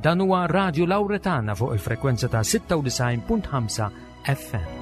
Dan huwa Radio Lauretana fuq il-frekwenza ta' 96.5 FM.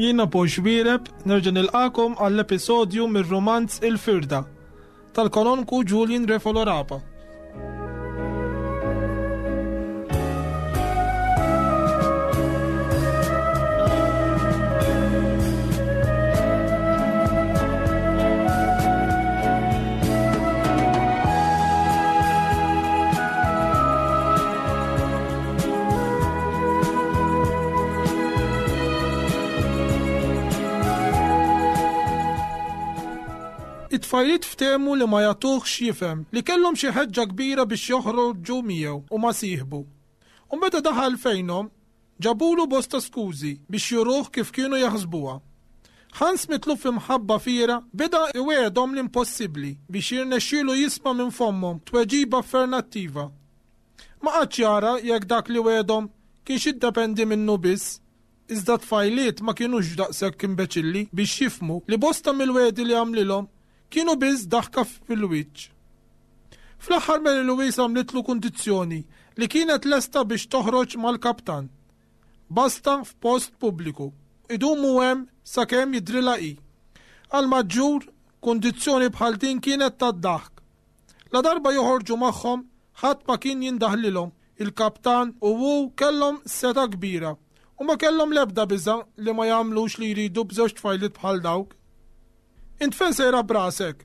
Jiena Paul Xwiereb nerġa' nilqakom għall-episodju mir-rumanz Il-Firda tal-Kanonku Julian Refolo Rapa. It-tfajliet ftehmu li ma jagħtuhx jifhem li kellhom xi ħeġġa kbira biex joħroġu miegħu u ma' sieħbu. U meta daħal fejnhom, ġabulu bosta skużi biex juruh kif kienu jaħsbuha. Hans mitluf f'imħabba fiergħa beda iwegħedhom l-impossibbli biex jirnexxielu jisma' minn fommhom tweġiba affernattiva. Ma qagħadx jara jekk dak li wegħedhom kienx jiddependi minnu biss, iżda t-tfajliet ma kinux daqshekk imbeċilli biex jifhmu li bosta mill-wegħdi li għamlilhom kienu biss daħka fil-wiċċ. Fl-aħħar Mary Louise għamlitlu kundizzjoni li kienet lesta biex toħroġ mal-kaptan. Basta f'post pubbliku. Idumu hemm sakemm jidhrilha hi. Għall-maġġur, kundizzjoni bħal din kienet tad-daħk. Ladarba joħorġu magħhom, ħadd ma kien jindaħlilhom, il-kaptan u hu kellhom setgħa kbira u ma kellhom l-ebda biża' li ma jagħmlux li jridu b'żewġ tfajliet bħal dawk. Int fejn sejra b'rasek?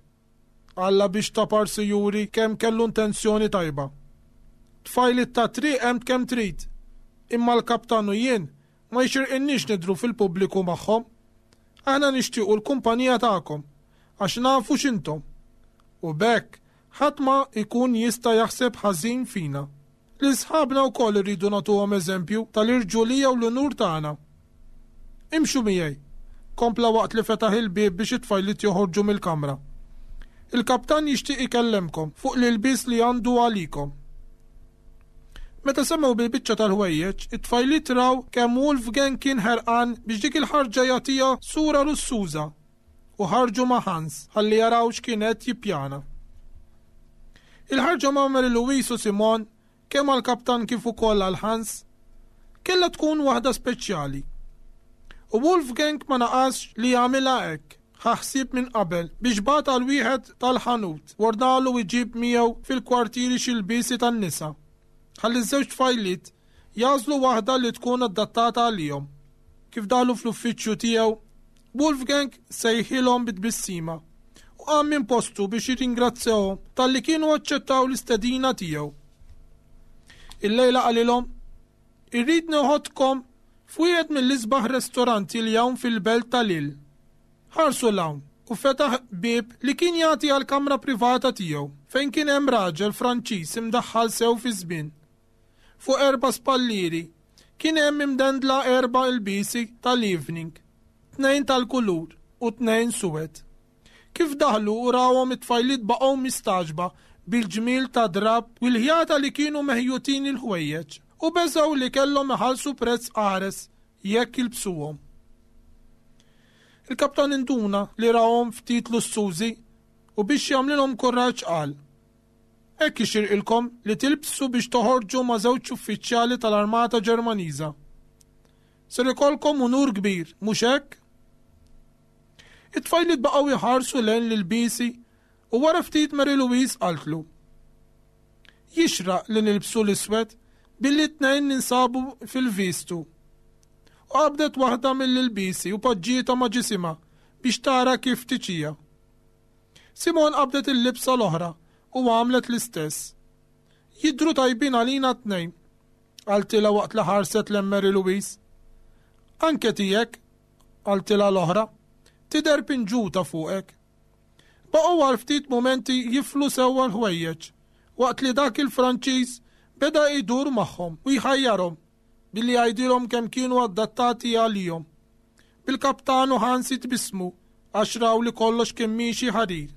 Alla biex ta' parsi juri kemm kellu intenzjoni tajba. Tfajliet tat-triq hemm kemm trid, imma l-kaptan u jien ma jixirqilniex nidhru fil-pubbliku magħhom. Aħna nixtiequ l-kumpanija tagħkom, għax nafu x'intom. U b'hekk ħadd ma jkun jista' jaħseb ħażin fina. Lil sħabna wkoll irridu nagħtuhom eżempju tal-irġulija u l-unur tagħna. Imxu miegħi, kompla waqt li fetaħ il-bieb biex it-tfajliet joħorġu mill-kamra. Il-kaptan jixtieq ikellemkom fuq l-ilbies li għandu għalikom. Meta semgħu bil-biċċa tal-ħwejjeġ, it-tfajliet raw kemm Wolfgang kien ħerqan biex dik il-ħarġa jagħtiha sura lussuża u ħarġu ma' Hans ħalli jaraw x'kien qed jippjana. Il-ħarġa ma' Mary Louise u Simon, kemm għall-kaptan kif ukoll għal Hans, kellha tkun waħda speċjali. U Wolfgang ma naqasx li jagħmilha hekk, ħa ħsieb minn qabel biex bagħat għal wieħed tal-ħanut u ordnalu jġib miegħu fil-kwartieri xi lbiesi tan-nisa, ħalli ż-żewġ tfajliet jagħżlu waħda li tkun adattata għalihom. Kif daħlu fl-uffiċċju tiegħu, Wolfgang sejħilhom bi tbissima u qam minn postu biex jirringrazzjahom talli kienu aċċettaw l-istedina tiegħu. Illejla qalilhom, Irrid neħodkom f'wieħed mill-isbaħ restoranti li hawn fil-belt ta' Lille. Ħarsu 'l hawn u fetaħ bieb li kien jagħti għall-kamra privata tiegħu fejn kien hemm raġel Franċiż imdaħħal sew fiż-żmien. Fuq erba' spallieri kien hemm imdendla erba' ilbiesi tal-evening, tnejn tal-kulur u tnejn suwed. Kif daħlu u rawhom it-tfajliet baqgħu mistagħġba bil-ġmiel tad-drapp u l-ħjata li kienu meħjutin il-ħwejjeġ u beżgħu li kellhom iħallsu prezz qares jekk jilbsuhom. Il-kaptan induna li rahom ftit lussużi u biex jagħmlilhom kuraġġ qal, Hekk jixirqilkom li tilbsu biex toħorġu ma' żewġ uffiċjali tal-armata Ġermaniża. Ser ikollkom unur kbir, mhux hekk? It-tfajliet baqgħu jħarsu lejn l-ilbiesi u wara ftit Mary Louise qaltlu, Jixraq li nilbsu l-iswed billi t-tnejn ninsabu fil-vistu. U qabdet waħda mill-ilbiesi u poġġietha ma' ġisimha biex tara kif tiċija. Simone qabdet il-libsa l-oħra u għamlet l-istess. Jidhru tajbin għalina t-tnejn, qaltilha waqt li ħarset lejn Mary Louise. Anke tiegħek, qaltilha l-oħra, tidher pinġuta fuqek. Baqgħu għal ftit mumenti jiflu sewwa l-ħwejjeġ, waqt li dak il-Franċiż beda jdur magħhom u jħajjarhom. billi jgħidilhom kemm kienu adattati għalihom. Bil-kaptan u Hans jitbissmu għax raw li kollox kien miexi ħarir.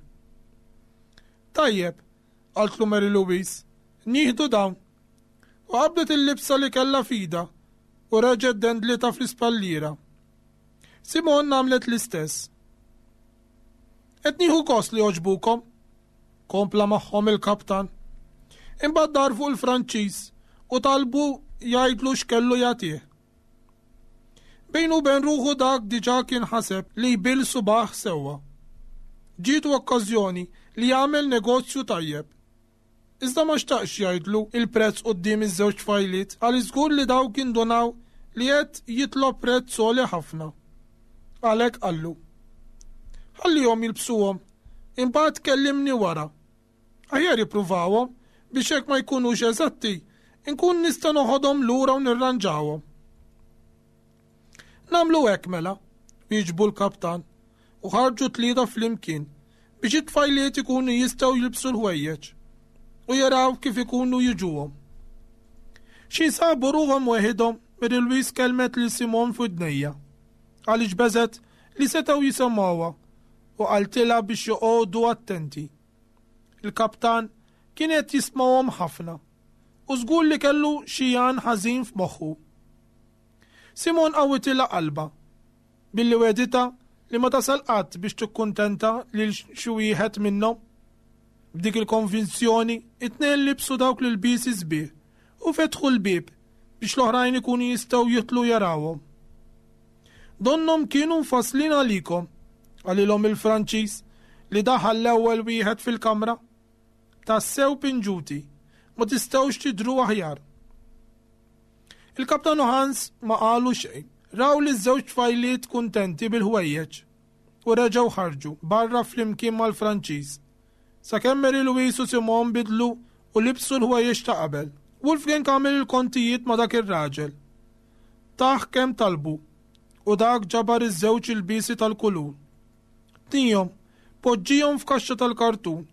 Tajjeb, qaltlu Mary Louise, nieħdu dawn. U qabdet il-libsa li kellha f'idha u reġgħet dendlitha fl-ispalliera. Simone għamlet l-istess. Qed nieħu gost li għoġbukom, kompla magħhom il-kaptan. Imbagħad dar fuq il-Franċiż u talbu jgħidlu x'kellu jagħtih. Bejnu u bejn ruħu dak diġà kien ħaseb li jbill subgħah sewwa. Ġietu okkażjoni li jagħmel negozju tajjeb. Iżda ma xtaqx jgħidlu il-prezz quddiem iż-żewġ tfajliet għaliex żgur li dawk indunaw li qed jitlob prezz għoli ħafna. Għalhekk qallu, Ħallihom jilbsuhom, imbagħad kellimni wara. Aħjar jippruvawhom biex jekk ma jkunux eżatti, inkun nista' noħodhom lura u nirranġawhom. Nagħmlu hekk mela, wieġbu l-kaptan, u ħarġu tlieta flimkien biex it-tfajliet ikunu jistgħu jilbsu l-ħwejjeġ u jaraw kif ikunu jiġuhom. Xi sabu ruħhom weħidhom, Mary Louise kellmet lil Simon f'widnejja għaliex beżgħet li setgħu jisemgħuha u qaltilha biex joqogħdu attenti. Il-kaptan kien qed jismahom ħafna u żgur li kellu xi għan ħażin f'moħħu. Simon qawwitilha qalbha billi wegħditha li ma tasal qatt biex tikkuntenta lil xi wieħed minnhom. B'dik il-konvinzjoni, it-tnejn libsu dawk l-ilbiesi sbieħ u fetħu l-bieb biex l-oħrajn ikunu jistgħu jidħlu jarawhom. Donnhom kienu mfasslin għalikom, qalilhom il-Franċiż li daħal l-ewwel wieħed fil-kamra. Tassew pinġuti, ma tistgħux tidhru aħjar. Il-Kaptan u Hans ma qalu xejn. Raw liż-żewġ tfajliet kuntenti bil-ħwejjeġ u reġgħu ħarġu barra flimkien mal-Franċiż. Sakemm Mary Louise u Simon bidlu u libsu l-ħwejjeġ ta' qabel. Wolfgang għamel il-kontijiet ma' dak ir-raġel. Tah kemm talbu u dak ġabar iż-żewġ ilbiesi tal-kulur. Tnihom, poġġihom f'kaxxa tal-kartun,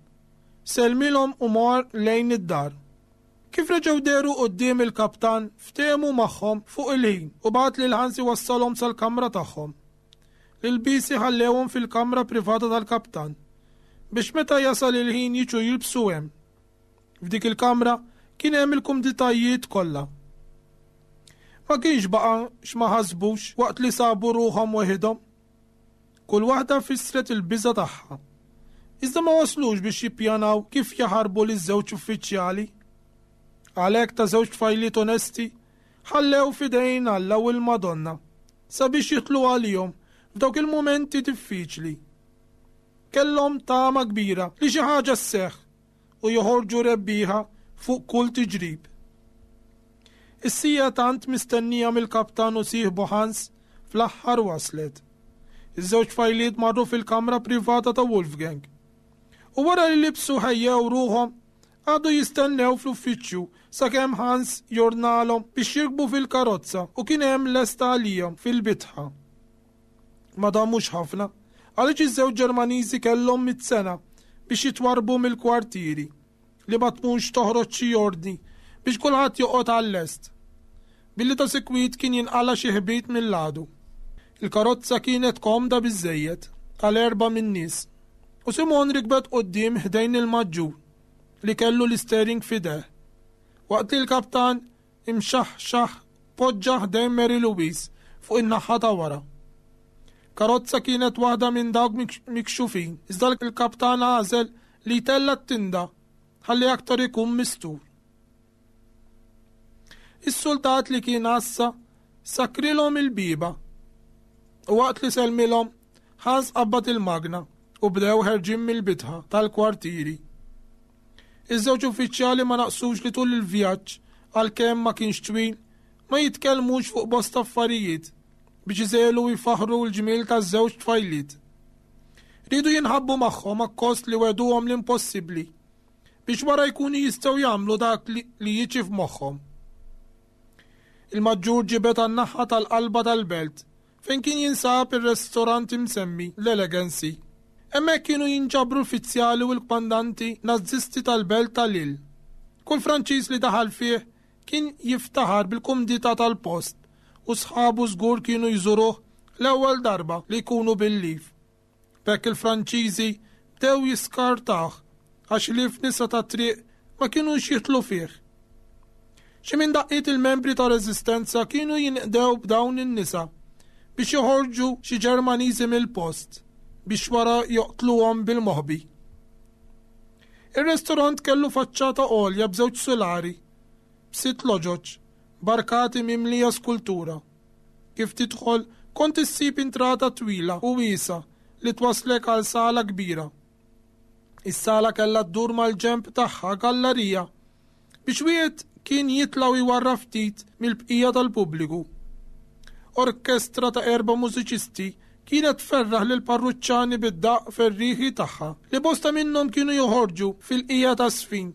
sellmilhom u mar lejn id-dar. Kif reġgħu dehru quddiem il-kaptan, ftehmu magħhom fuq il-ħin u bagħat lil Hans iwassalhom sal-kamra tagħhom. L-ilbiesi ħallewhom fil-kamra privata tal-kaptan, biex meta jasal il-ħin jiġu jilbsu hemm. F'dik il-kamra kien hemm il-kumditajiet kollha. Ma kienx baqa' x'ma ħasbux waqt li sabu ruħhom weħidhom. Kull waħda fissret il-biża' tagħha. Iżda ma waslux biex jippjanaw kif jaħarbu liż-żewġ uffiċjali. Għalhekk ta' żewġ tfajliet onesti ħallew f'idejn Alla u l-Madonna sabiex jidħlu għalihom f'dawk il-mumenti diffiċli. Kellhom tama kbira li xi ħaġa sseħħ u joħorġu rebbieħa fuq kull tiġrib. Is-siegħa tant mistennija mill-kaptan u sieħbu Hans fl-aħħar waslet. Iż-żewġ tfajliet marru fil-kamra privata ta' Wolfgang. U wara li libsu ħejjew ruħhom, qagħdu jistennew fl-uffiċċju sakemm Hans jordnalhom biex jirkbu fil-karozza u kien hemm lesta għalihom fil-bitħa. Ma damux ħafna, għaliex iż-żewġ Ġermaniżi kellhom mit-sena biex jitwarrbu mill-kwartieri, li ma tmunx toħroġ xi ordni biex kulħadd joqgħod għal-lest. Billi ta' sikwit kien jinqala' xi ħbit mill-għadu. Il-karozza kienet komda biżżejjed għal erbgħa min-nies, u Simone rikbet quddiem ħdejn il-maġġur li kellu l-istering f'idejh, waqt li l-kaptan imxaħxaħ poġġa ħdejn Mary Louise fuq in-naħa ta' wara. Karozza kienet waħda minn dawk mikxufin, iżda l-kaptan għażel li jtella' t-tinda ħalli aktar ikun mistur. Is-suldat li kien għassa sakkrilhom il-bieba u waqt li sellmilhom Hans qabbad il-magna u bdew ħerġin mill-bitħa tal-kwartieri. Iż-żewġ uffiċjali ma naqsux li tul il-vjaġġ, għalkemm ma kienx twil, ma jitkellmux fuq bosta affarijiet biex iżegħlu u jfaħħru l-ġmiel taż-żewġ tfajliet. Riedu jinħabbu magħhom akkost li wegħduhom l-impossibbli biex wara jkunu jistgħu jagħmlu dak li jiġi f'moħħhom. Il-maġġur ġibed għan-naħa tal-qalba tal-belt fejn kien jinsab ir-restorant imsemmi l-Elegancy. Hemmhekk kienu jinġabru l-fizzjali u l-kmandanti Nażisti tal-belt ta' Lille. Kull Franċiż li daħal fih. Kien jiftaħar bil-kumdità tal-post u sħabu żgur kienu jżuruh l-ewwel darba li jkunu bil-leave. B'hekk il-Franċiżi bdew jiskartawh għax ħlief nisa tat-triq ma kinux jidħlu fih. Xi minn daqqiet il-membri tar-reżistenza kienu jinqdew b'dawn in-nisa biex joħorġu xi Ġermaniżi mill-post biex wara joqtluhom bil-moħbi. Ir-restorant kellu faċċata għolja b'żewġ sulari, b'sitt loġoġ, b'arkati mimlija skultura. Kif tidħol, kont issib intrata twila u wiesgħa li twasslek għal sala kbira. Is-sala kellha ddur mal-ġenb tagħha gallarija biex wieħed kien jitla' u jwarrab ftit mill-bqija tal-pubbliku. Orkestra ta' erba' mużiċisti kienet tferraħ lill-parruċċani bid-daqq ferrieħi tagħha li bosta minnhom kienu joħorġu fil-qiegħa taż-żfin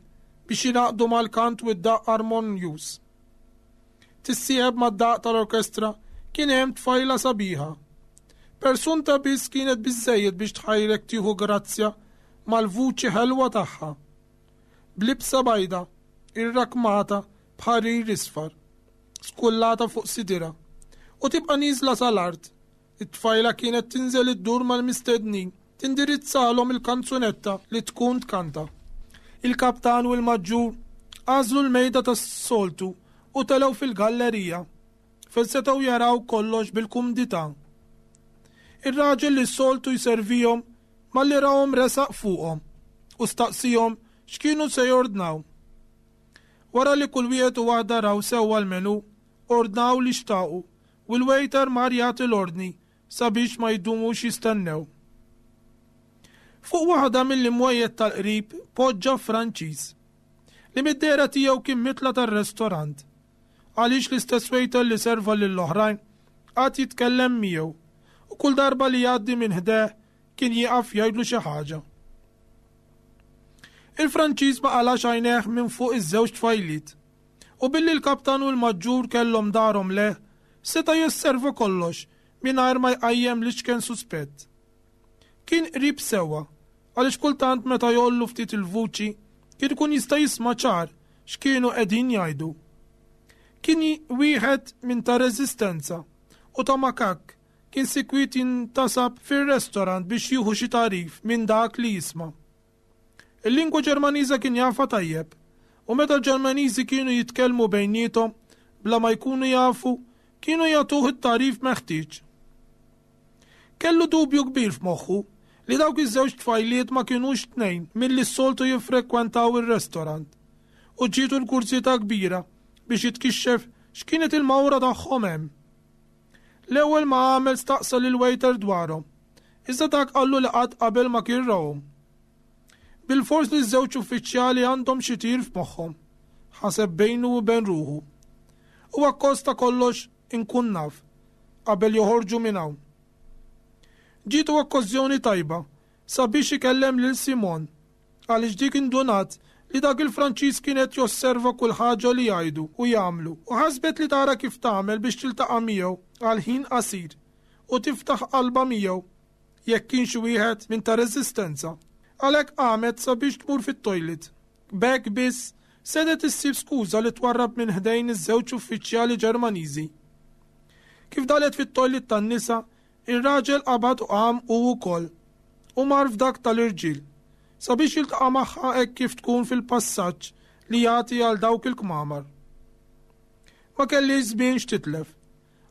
biex jingħaqdu mal-kant u d-daqq armonjuż. Tissieħeb mad-daqq tal-orkestra kien hemm tfajla sabiħa. Persunta biss kienet biżżejjed biex tħajrek tieħu grazzja mal-vuċi ħelwa tagħha. B'libsa bajda, irrakkmata b'ħarir isfar, skullata fuq sidirha, u tibqa' nieżla sal-art, it-tfajla kienet tinżel iddur mal-mistednin tindirizzalhom il-kanzunetta li tkun tkanta. Il-kaptan u l-maġġur għażlu l-mejda tas-soltu u telgħu fil-gallerija fejn setgħu jaraw kollox bil-kumdità. Ir-raġel li s-soltu jservihom malli rahom resaq fuqhom u staqsihom x'kienu se jordnaw. Wara li kull wieħed u waħda raw sewwa l-menu, ordnaw li xtaqu u l-waiter mar jagħti l-ordni sabiex ma jdumux jistennew. Fuq waħda mill-imwejjed tal-qrib poġġa Franċiż, li mid-dehra tiegħu kien mitla tar-restorant. Għaliex l-istess waiter li serva lill-oħrajn qagħad jitkellem miegħu u kull darba li jgħaddi minn ħdejh kien jieqaf jgħidlu xi ħaġa. Il-Franċiż ma qalax għajnejh minn fuq iż-żewġ tfajliet u billi l-kaptan u l-maġġur kellhom darhom lejh seta' josserva kollox mingħajr ma jqajjem l-iċken suspett. Kien qrib sewwa għaliex kultant meta jgħollu ftit il-vuċi kien ikun jista' jisma' ċar x'kienu qegħdin jgħidu. Kien wieħed minn ta' reżistenza u ta' makakk kien sikwit jintasab fir-restorant biex jieħu xi tagħrif minn dak li jisma'. Il-lingwa Ġermaniża kien jafha tajjeb u meta l-Ġermaniżi kienu jitkellmu bejniethom bla ma jkunu jafu, kienu jagħtuh it-tagħrif meħtieġ. Kellu dubju kbir f'moħħu li dawk iż-żewġ tfajliet ma kinux tnejn milli s-soltu jiffrekwentaw ir-restorant u ġietu l-kurżità kbira biex jitkixxef x'kienet il-mawra tagħhom hemm. L-ewwel ma għamel staqsa lill-waiter dwarhom, iżda dak qallu li qatt qabel ma kien rahom. Bilfors li ż-żewġ uffiċjali għandhom xi tir f'moħħhom, ħaseb bejnu u bejn ruħu. U akkost ta' kollox inkun naf qabel joħorġu minn hawn. Ġietu okkażjoni tajba sabiex ikellem lil Simon għaliex dik indunat li dak il-Franċiż kien qed josserva kull ħaġa li jgħidu u jagħmlu u ħasbet li tara kif tagħmel biex tiltaqa' miegħu għal ħin qasir u tiftaħ qalbha miegħu jekk kienx wieħed minn ta' reżistenza. Għalhekk qamet sabiex tmur fit-toilet. B'hekk biss setgħet issib skuża li twarrab minn ħdejn iż-żewġ uffiċjali Ġermaniżi. Kif dalet fit-toilet tan-nisa, ir-raġel qabad u qam hu wkoll u mar f'dak tal-irġiel, sabiex jiltaqa' magħha hekk kif tkun fil-passaġġ li jagħti għal dawk il-kmamar. Ma kellhiex żmien x'titlef,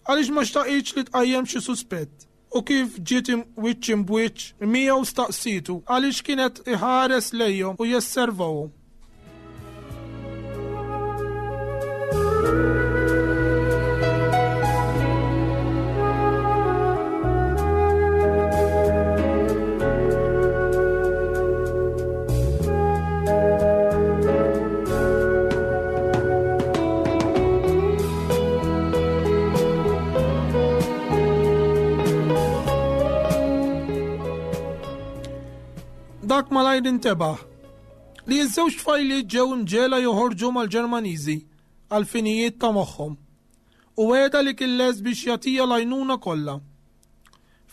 għaliex ma xtaqitx li tqajjem xi suspett u kif ġiet wiċċ imb'wiċċ miegħu staqsietu għaliex kien qed iħares lejhom u jesservahom. Dak malajr intebaħ li ż-żewġ tfajliet ġew imġegħla joħorġu mal-Ġermaniżi għall-finijiet ta' moħħhom u wegħda li kien lest biex jagħtiha l-għajnuna kollha.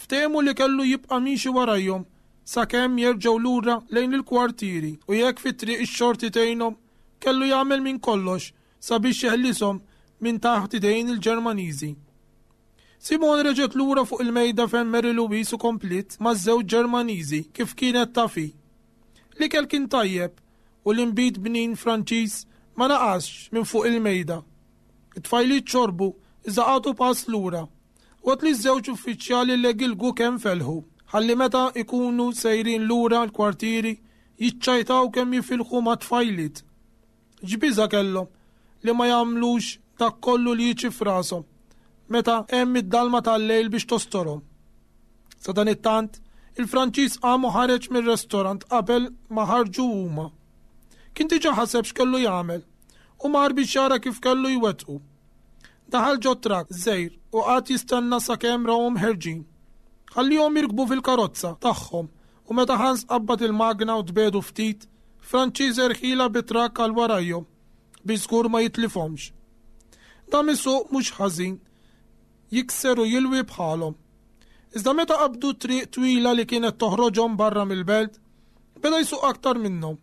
Ftehmu li kellu jibqa' miexi warajhom sakemm jerġgħu lura lejn il-kwartieri u jekk fit-triq ix-xorti tgħinhom, kellu jagħmel minn kollox. sabiex jeħlishom minn taħt idejn il-Ġermaniżi. Simone reġgħet lura fuq il-mejda fejn Mary Louise u kompliet maż-żewġ Ġermaniżi kif kienet taf hi. L-ikel kien tajjeb u l-inbid bnin Franċiż ma naqasx minn fuq il-mejda. It-tfajliet xorbu iżda qagħdu pass lura, waqt li ż-żewġ uffiċjali legilgu kemm felħu, ħalli meta jkunu sejrin lura l-kwartieri jiċċajtaw kemm jifilħu mat-tfajliet. X'biża' kellhom li ma jagħmlux dak kollu li jiġi f'rashom meta hemm id-dalma tal-lejl biex tostorhom. Sadanittant, il-Franċiż qam u ħareġ mir-restorant qabel ma ħarġu huma. Kien diġà ħaseb x'kellu jagħmel u mar biex jara kif kellu jwettqu. Daħal ġo trakk żgħir u qagħad jistenna sakemm rahom ħerġin. Ħallihom jirkbu fil-karozza tagħhom u meta Hans qabbad il-magna u tbiegħdu ftit, Franċiż erħilha bit-trakk għal warajhom biex żgur ma jitlifhomx. Dam isuq mhux ħażin, jikser u jilwi bħalhom. Iżda meta qabdu triq twila li kienet toħroġhom barra mill-belt, beda jsuq aktar minnhom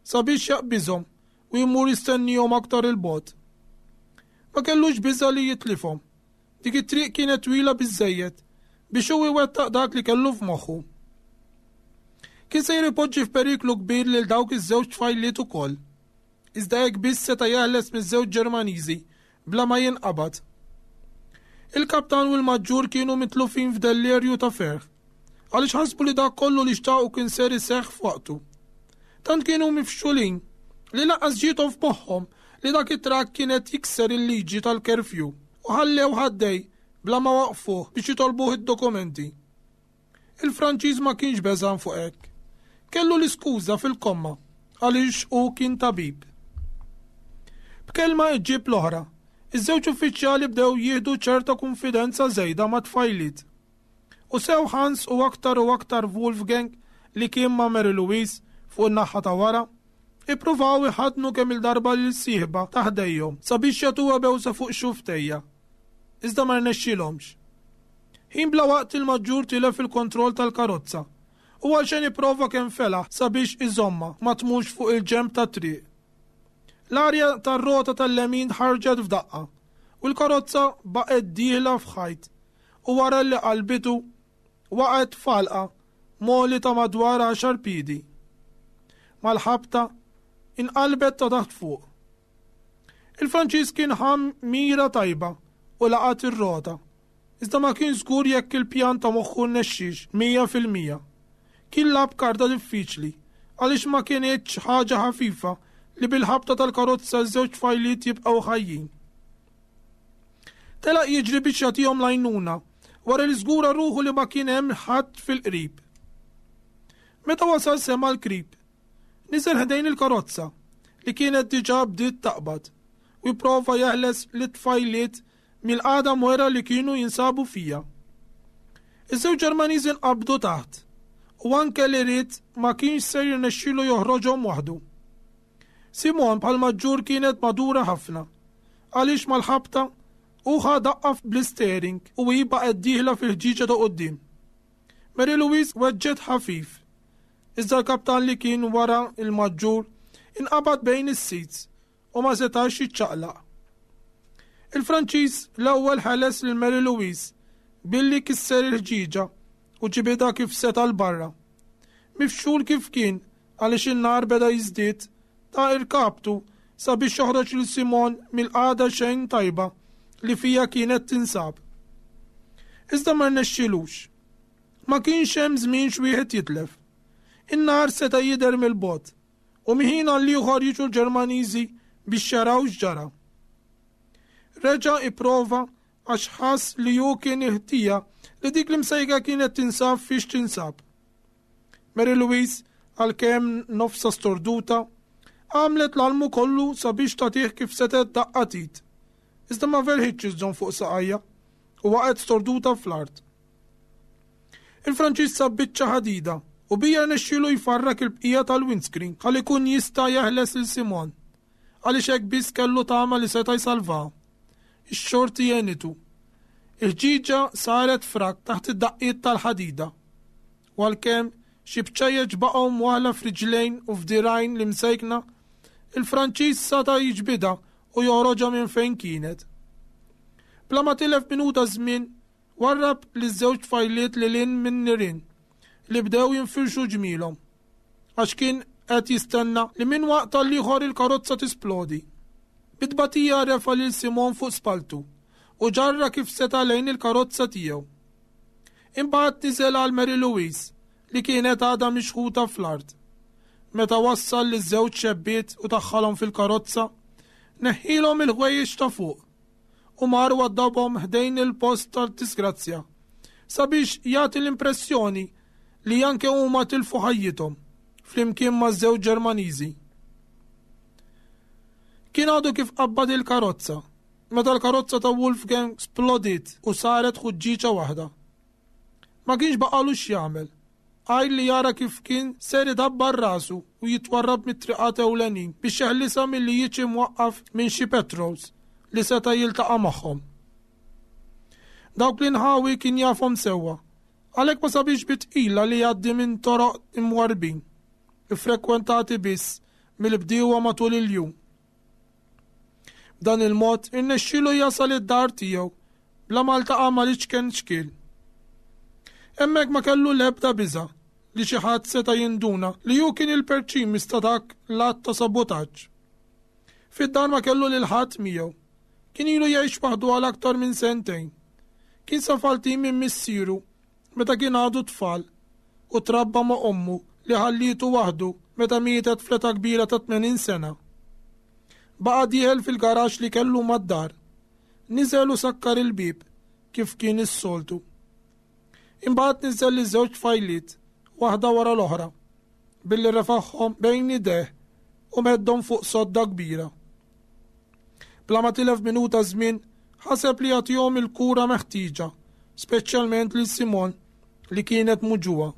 sabiex jaqbiżhom u jmur jistennihom aktar 'il bogħod. Ma kellux biża' li jitlifhom. Dik it-triq kienet twila biżżejjed biex hu iwettaq dak li kellu f'moħħu. Kien sejjer ipoġġi f'periklu kbir lil dawk iż-żewġ tfajliet ukoll. Iżda hekk biss seta' jeħles miż-żewġ Ġermaniżi bla ma jinqabad. Il-kaptan u l-maġġur kienu mitlufin f'dellerju ta' ferħ, għaliex ħasbu li dak kollu li xtaqu kien ser iseħħ f'waqtu. Tant kienu mifxulin li lanqas ġiethom f'moħħhom li dak it-trakk kien qed jikser il-liġi tal-curfew u ħallewh għaddej bla ma waqqfuh biex jitolbuh id-dokumenti. Il-Franċiż ma kienx beżgħan fuq hekk. Kellu l-iskuża fil-komma għaliex hu kien tabib. B'kelma iġġib l-oħra, iż-żewġ uffiċjali bdew jieħdu ċerta kunfidenza żejda mat-tfajliet. U sew Hans u aktar u aktar Wolfgang li kien ma' Mary Louise fuq in-naħa ta' wara, ippruvaw iħaddnu kemm-il darba lil sieħba ta' ħdejhom sabiex jagħtuha bewsa fuq xufftejha. Iżda ma rnexxielhomx. Ħin bla waqt il-maġġur tilef il-kontroll tal-karozza u għalxejn ipprova kemm felaħ sabiex iżommha ma tmurx fuq il-ġenb tat-triq. L-arja tar-rota tal-lemin ħarġet f'daqqa u l-karozza baqgħet dieħla f'ħajt u wara li qalbitu waqgħet f'għalqa m'għoli ta' madwar għaxar piedi. Mal-ħabta, inqalbet ta' taħt fuq. Il-Franċiż kien ħa mira tajba u laqat ir-rota, iżda ma kienx żgur jekk il-pjan ta' moħħu rnexxiex 100%. Kien lagħab karta diffiċli għaliex ma kinitx ħaġa ħafifa li bil-ħabta tal-karozza ż-żewġ tfajliet jibqgħu ħajjin. Telaq jiġri biex jagħtihom l-għajnuna wara li żgura ruħu li ma kien hemm ħadd fil-qrib. Meta wasal sema' l-krib. Niżel ħdejn il-karozza li kienet diġà bdiet taqbad u jipprova jeħles lit-tfajliet mill-qagħda mwera li kienu jinsabu fiha. Iż-żewġ Ġermaniżi nqabdu taħt u anke li ried ma kienx ser jirnexxilu joħroġhom waħdu. Simon bħal maġġur kienet madura ħafna għaliex mal-ħabta hu ħa daqqa bl-istering u hi baqgħet dieħla fil-ħġieġa ta' quddiem. Mary Louise weġġgħet ħafif Iżda l-kaptan li kien wara l-maġġur inqabad bejn is-seats u ma setax jiċċaqlaq. Il-Franċiż l-ewwel ħeles lil Mary Louise billi kisser il-ħġieġa u ġibidha kif seta' 'l barra. Mifxul kif kien għaliex in-nar beda jiżdied, ta irkabtu sabiex joħroġ lil Simone mill-qagħda xejn tajba li fiha kienet tinsab. Iżda ma rnexxielux. Ma kienx hemm żmien x'wieħed jitlef. In-nar seta' jidher mill-bogħod, u minn ħin għall-ieħor jiġu l-Ġermaniżi biex jaraw x'ġara. Reġa' ipprova għax ħass li hu kien il-ħtija li dik l-imsejka kienet tinsab fiex tinsab. Mary Louise, għalkemm nofsha storduta, għamlet l-almu kollu sabiex tagħtih kif setgħet daqqa t'id. Iżda ma felħitx iżżomm fuq saqajha u waqgħet storduta fl-art. Il-Franċiż sab biċċa ħadida u bija rnexxielu jfarrak il-bqija tal-windscreen ħalli jkun jista' jeħles lil Simon, għaliex hekk biss kellu tama li seta' jsalvaha. Ix-xorti għenitu. Il-ħġieġa saret frak taħt id-daqqiet tal-ħadida. U għalkemm xi bċejjeċ baqgħu mwaħħla f'riġlejn u f'dirgħajn l-imsejkna, il-Franċiż sata' jiġbidha. u joħroġha minn fejn kienet. Bla ma tilef minuta żmien, warrab liż-żewġ tfajliet lil hinn min-nirien li bdew jinfirxu ġmielhom, għax kien qed jistenna li minn waqt għall-ieħor il-karozza tisplodi. Bi tbatija refa' lil Simone fuq spalltu u ġarrha kif seta' lejn il-karozza tiegħu. Imbagħad niżel għal Mary Louise li kienet għadha mixħuta fl-art. Meta wassal liż-żewġ xebbiet u daħħalhom fil-karozza, neħħielhom il-ħwejjeġ ta' fuq u mar waddabhom ħdejn il-post tad-disgrazzja sabiex jagħti l-impressjoni li anke huma tilfu ħajjithom flimkien maż-żewġ Ġermaniżi. Kien għadu kif qabbad il-karozza meta l-karozza ta' Wolfgang splodiet u saret ħuġġieġa waħda. Ma kienx baqagħlu x'jagħmel, għajr li jara kif kien ser idabbar rasu u jitwarrab mit-triqat ewlenin biex jeħlisha milli jiġi mwaqqaf minn xi patrols li seta' jiltaqa' magħhom. Dawk l-inħawi kien jafhom sewwa, għalhekk ma sabiex bi tqila li jgħaddi minn toroq imwarrbin, iffrekwentati biss mill-bdiewa matul il-jum. B'dan il-mod irnexxielu jasal id-dar tiegħu bla ma ltaqa' mal-iċken xkiel. Hemmhekk ma kellu l-ebda biża' li xi ħadd seta' jinduna li hu kien il-perċimis ta' dak l-att ta' sabotaġġ. Fid-dar ma kellu lil ħadd miegħu. Kien ilu jgħix waħdu għal aktar minn sentejn. Kien safaltin minn missieru meta kien għadu tfal u trabba ma' ommu li ħallietu waħdu meta mietet fl-età kbira ta' 80 sena. Baqa' dieħel fil-garaxx li kellu mad-dar. Niżel u sakkar il-bieb kif kien is-soltu. Imbagħad niżel liż-żewġ tfajliet, waħda wara l-oħra, billi refagħhom bejn idejh u meddhom fuq sodda kbira. Bla ma tilef minuta żmien, ħaseb li jagħtihom il-kura meħtieġa, speċjalment lil Simon li kienet muġugħa.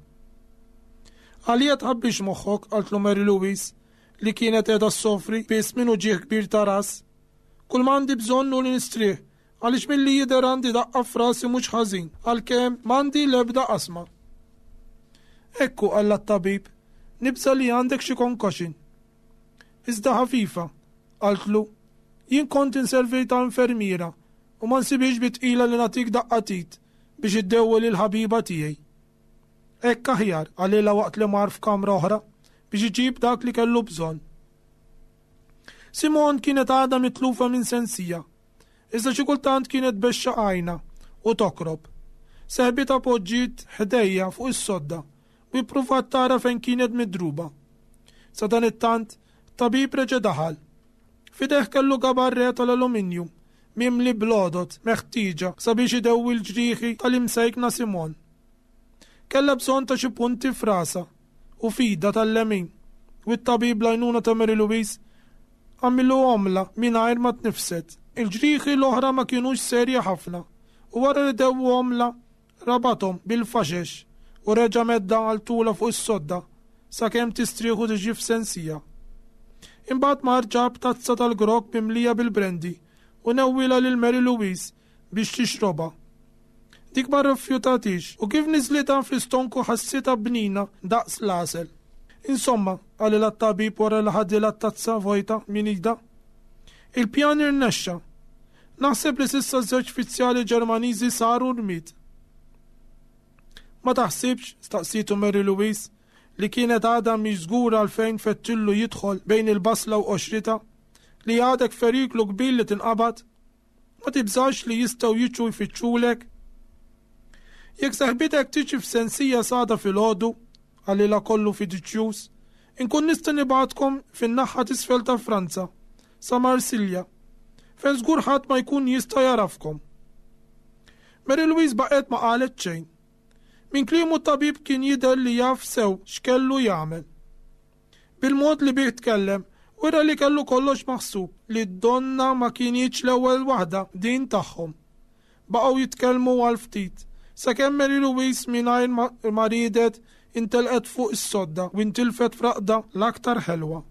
Għalija tħabbix moħħok, qaltlu Mary Louise, li kienet qiegħda ssofri biss minn uġigħ kbir ta' ras. Kull ma għandi bżonn hu li nistrieħ, għaliex milli jidher għandi daqqa f'rasi mhux ħażin, għalkemm m'għandi l-ebda qasma. Ekku, qallha t-tabib, nibża' li għandek xi concussion. Iżda ħafifa, qaltlu. Jien kont inservi ta' infermiera u ma nsibhiex bi tqila li nagħtik daqqa t'id biex iddewwi lill-ħabiba tiegħi. Hekk aħjar, qalilha waqt li mar f'kamra oħra biex iġib dak li kellu bżonn. Simone kienet għadha mitlufa minn sensija, iżda xi kultant kienet tbexxaq għajnha u tokrob. Seħbitha poġġiet ħdejha fuq is-sodda u ippruvat tara fejn kienet midruba. Sadanittant, tabib reġa' daħal. F'idejh kellu gabarre tal-aluminju mimli bl-għodod meħtieġa sabiex idewwi l-ġrieħi tal-imsejkna Simone. Kellha bżonn ta' xi punti f'rasha u f'idha tal-lemin u t-tabib bl-għajnuna ta' Mary Louise għamilhomlha mingħajr ma tnifset. Il-ġrieħi l-oħra ma kinux serji ħafna u wara li dewwhomlha Rabathom bil-faxex u reġa' meddha għal tulha fuq is-sodda sakemm tistrieħ u tiġi f'sensija. Imbagħad mar ġab tazza tal-grog mimlija bil-brandy u newwielha lil Mary Louise biex tixrobha. Dik ma rrifjutathiex u kif niżlitha fl-istonku ħassitha bnina daqs l-għasel. Insomma, qalilha t-tabib wara li ħadilha t-tazza vojta minn idha. Il-pjan irnexxa. Naħseb li s'issa żewġ fizzjali Ġermaniżi saru rmied. Ma taħsibx, staqsietu Mary Louise, li kienet għadha mhix żgura għalfejn fettillu jidħol bejn il-basla u qoxritha, li għadek f'periklu kbir li tinqabad? Ma tibżax li jistgħu jiġu jfittxulek? Jekk saħbitek tiġi f'sensija s'għada filgħodu, qalilha kollu fiduċjuż, inkun nista' nibgħatkom fin-naħa t'isfel ta' Franza, sa Marsilja, fejn żgur ħadd ma jkun jista' jagħrafkom. Mary Louise baqgħet ma qalet xejn. Minn kliemu t-tabib kien jidher li jaf sew x'kellu jagħmel. Bil-mod li bih tkellem, wera li kellu kollox maħsub li donnha ma kinitx l-ewwel waħda din tagħhom. Baqgħu jitkellmu għal ftit, sakemm Mary Louise mingħajr ma riedet intelqet fuq is-sodda u intilfet f'raqda l-aktar ħelwa.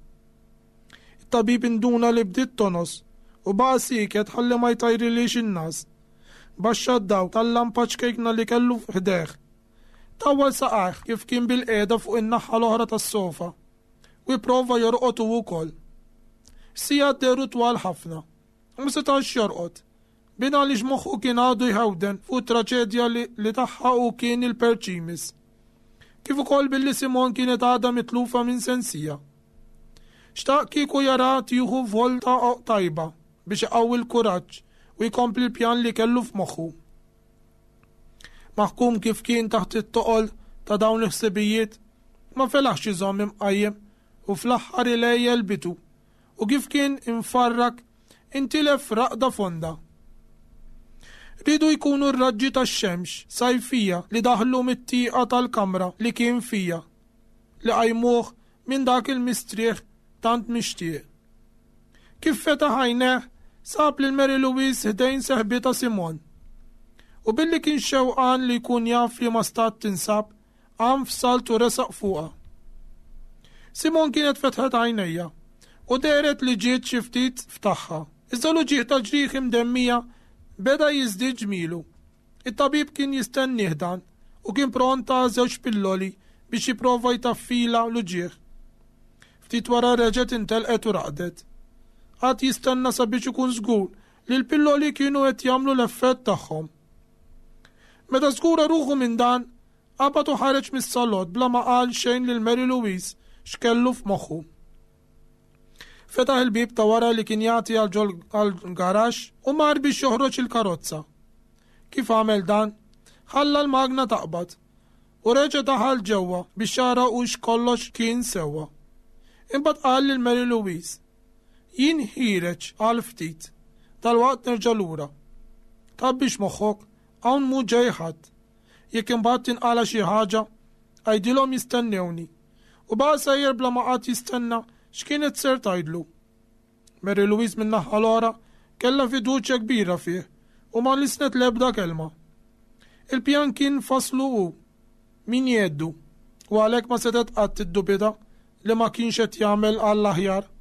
It-tabib induna li bdiet tonqos u baqa' sieket ħalli ma jtajrilhiex in-ngħas. Baxxa d-dawl tal-lampa ċkejkna li kellu ħdejh. Tawwal saqajh kif kien bilqiegħda fuq in-naħa l-oħra tas-sofa u ipprova jorqod hu wkoll. Is-sigħat dehru twal ħafna. U ma setax jorqod. Bin għaliex moħħu kien għadu jħewden fuq it-traċedja li, li tagħha hu kien il-perċimis. Kif ukoll billi Simon kienet għadha mitlufa minn sensija. Xtaq kieku jara tieħu volta tajba biex iqawwi l-kuraġġ u jkompli l-pjan li kellu f'moħħu. Maħkum kif kien taħt it-toqol ta' dawn il-ħsibijiet, ma felaħx iżomm imqajjem u fl-aħħar ilejjel bitu u kif kien imfarrak intilef raqda fonda. Riedu jkunu r-raġġi tax-xemx sajfija li daħlu mit-tieqa tal-kamra li kien fija li qajmuh minn dak il-mistrieħ tant mixtieq. Kif fetaħ għajnejh, sab lil Mary Louise ħdejn seħbitha Simon. U billi kien xewqan li jkun jaf f'liema stat tinsab, qam f'salt u resaq fuqha. Simon kienet fetħet għajnejha u dehret li ġiet xi ftit f'tagħha. Iżda l-uġigħ tal-ġrieħi mdemmija beda jiżdied ġmielu. It-tabib kien jistennieh dan u kien pront ta żewġ pilloli biex jipprova jtaffilha l-uġigħ. Ftit wara reġgħet intelqet u raqdet. Qagħad jistenna sabiex ikun żgur li l-pilloli kienu qed jagħmlu l-effett tagħhom. Meta żgura ruħu minn dan, qabad u ħareġ mis-salott bla ma qal xejn lil Mary Louise x'kellu f'moħħu. Fetaħ il-bieb ta' wara li kien jagħti għal ġol garaxx u mar biex joħroġ il-karozza. Kif għamel dan, ħalla l-magna taqbad u reġa' daħal ġewwa biex jara hux kollox kien sewwa. Imbagħad qal lil Mary Louise, Jien ħiereġ għal ftit, dalwaqt nerġa' lura. Tgħabbix moħħok, hawn mhu ġej ħadd. Jekk imbagħad tinqala' xi ħaġa, għidilhom jistennewni. U baqa' sejjer bla ma qagħad jistenna x'kienet ser tgħidlu. Mary Louise min-naħa l-oħra kellha fiduċja kbira fih u ma lissnet l-ebda kelma. Il-pjan kien fasslu hu, min jgħeddu, u għalhekk ma setgħet qatt tiddubita li ma kienx qed jagħmel għall-aħjar.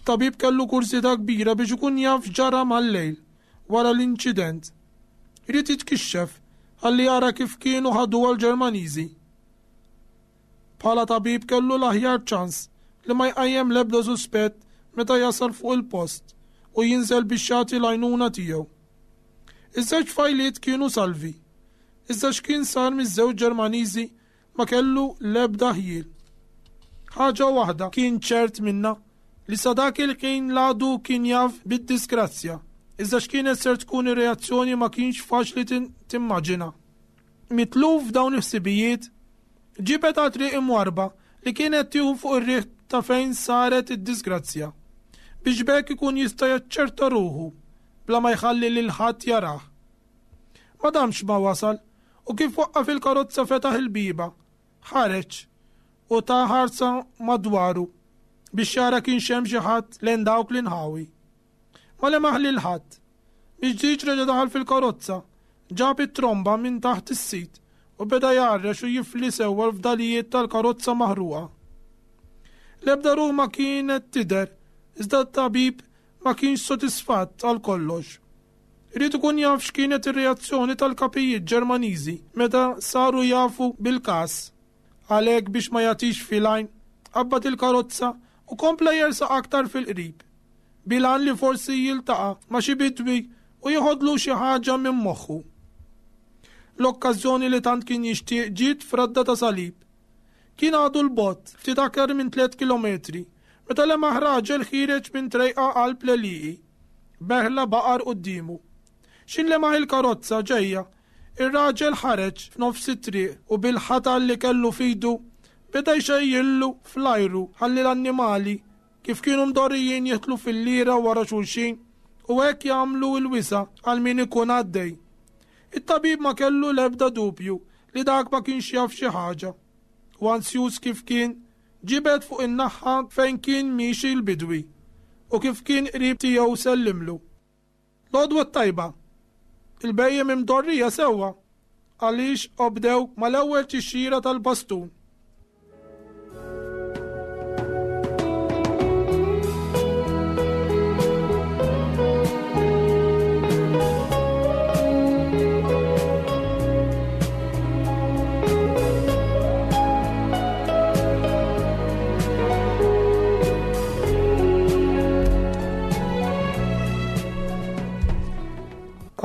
It-tabib kellu kurżità kbira biex ikun jaf x'ġara mal-lejl wara l-inċident. Ried jitkixxef ħalli jara kif kienu ħaduha l-Ġermaniżi. Bħala tabib kellu l-aħjar ċans li ma jqajjem l-ebda suspett meta jasal fuq il-post u jinżel biex jagħti l-għajnuna tiegħu. Iż-żewġ tfajliet kienu salvi, iżda x'kien sar miż-żewġ Ġermaniżi ma kellu l-ebda ħjiel. Ħaġa waħda kien ċert minnha li sa dak il-ħin l-għadu kien jaf bid-disgrazzja, iżda x'kienet ser tkun ir-reazzjoni ma kienx faċli timmaġina. Mitluf f'dawn il-ħsibijiet, ġibed għal triq imwarrba li kienet tieħu fuq ir-riħ ta' fejn saret id-disgrazzja, biex b'hekk ikun jista' jaċċerta ruħu bla ma jħalli lil ħadd jarah. Ma damx ma wasal u kif waqqaf il-karozza fetaħ il-bieba, ħareġ u ta ħarsa madwaru biex jara kienx hemm xi ħadd lejn dawk l-inħawi. Ma lemaħ lil ħadd. Miġġieġ reġa' daħal fil-karozza, ġab it-tromba minn taħt is-sit u beda jgħarrex u jifli sewwa l-fdalijiet tal-karozza maħruqa. L-ebda ruħ ma kienet tidher, iżda t-tabib ma kienx sodisfatt għal kollox. Ried ikun jaf x'kienet ir-reazzjoni tal-kapijiet Ġermaniżi meta saru jafu bil-każ. Għalhekk biex ma jagħtix fil-għajn, qabbad il-karozza u kompla jersaq aktar fil-qrib, bil-għan li forsi jiltaqa' ma' xi bidwi u jeħodlu xi ħaġa minn moħħu. L-okkażjoni li tant kien jixtieq ġiet f'radda ta' salib. Kien għadu 'l bogħod, ftit aktar minn tliet kilometri, meta lemaħ raġel ħiereġ minn trejqa qalb l-għelieqi. B'merħla baqar quddiemu. X'in lemaħ il-karozza ġejja, ir-raġel ħareġ f'nofs it-triq u bil-ħatar li kellu f'idu beda jxejjillu fl-ajru ħalli l-annimali, kif kienu mdorrijin jidħlu fil-lira wara xulxin u hekk jagħmlu l-wisa' għal min ikun għaddej. It-tabib ma kellu l-ebda dubju li dak ma kienx jaf xi ħaġa u anzjuż kif kien, Ġibed fuq in-naħa fejn kien miexi l-bidwi u kif kien qrib tiegħu sellimlu. L-għodwa t-tajba! Il-bhejjem imdorrija sewwa għaliex obdew mal-ewwel tixjira tal-bastun.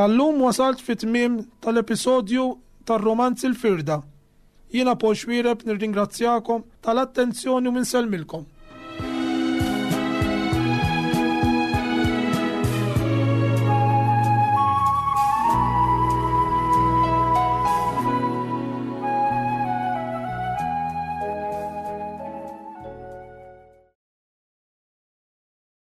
Tal-lum wasalt fi tmiem tal-episodju tar-rumanz Il-Firda. Jiena Paul Xuereb nirringrazzjakom tal-attenzjoni u insellmilkom.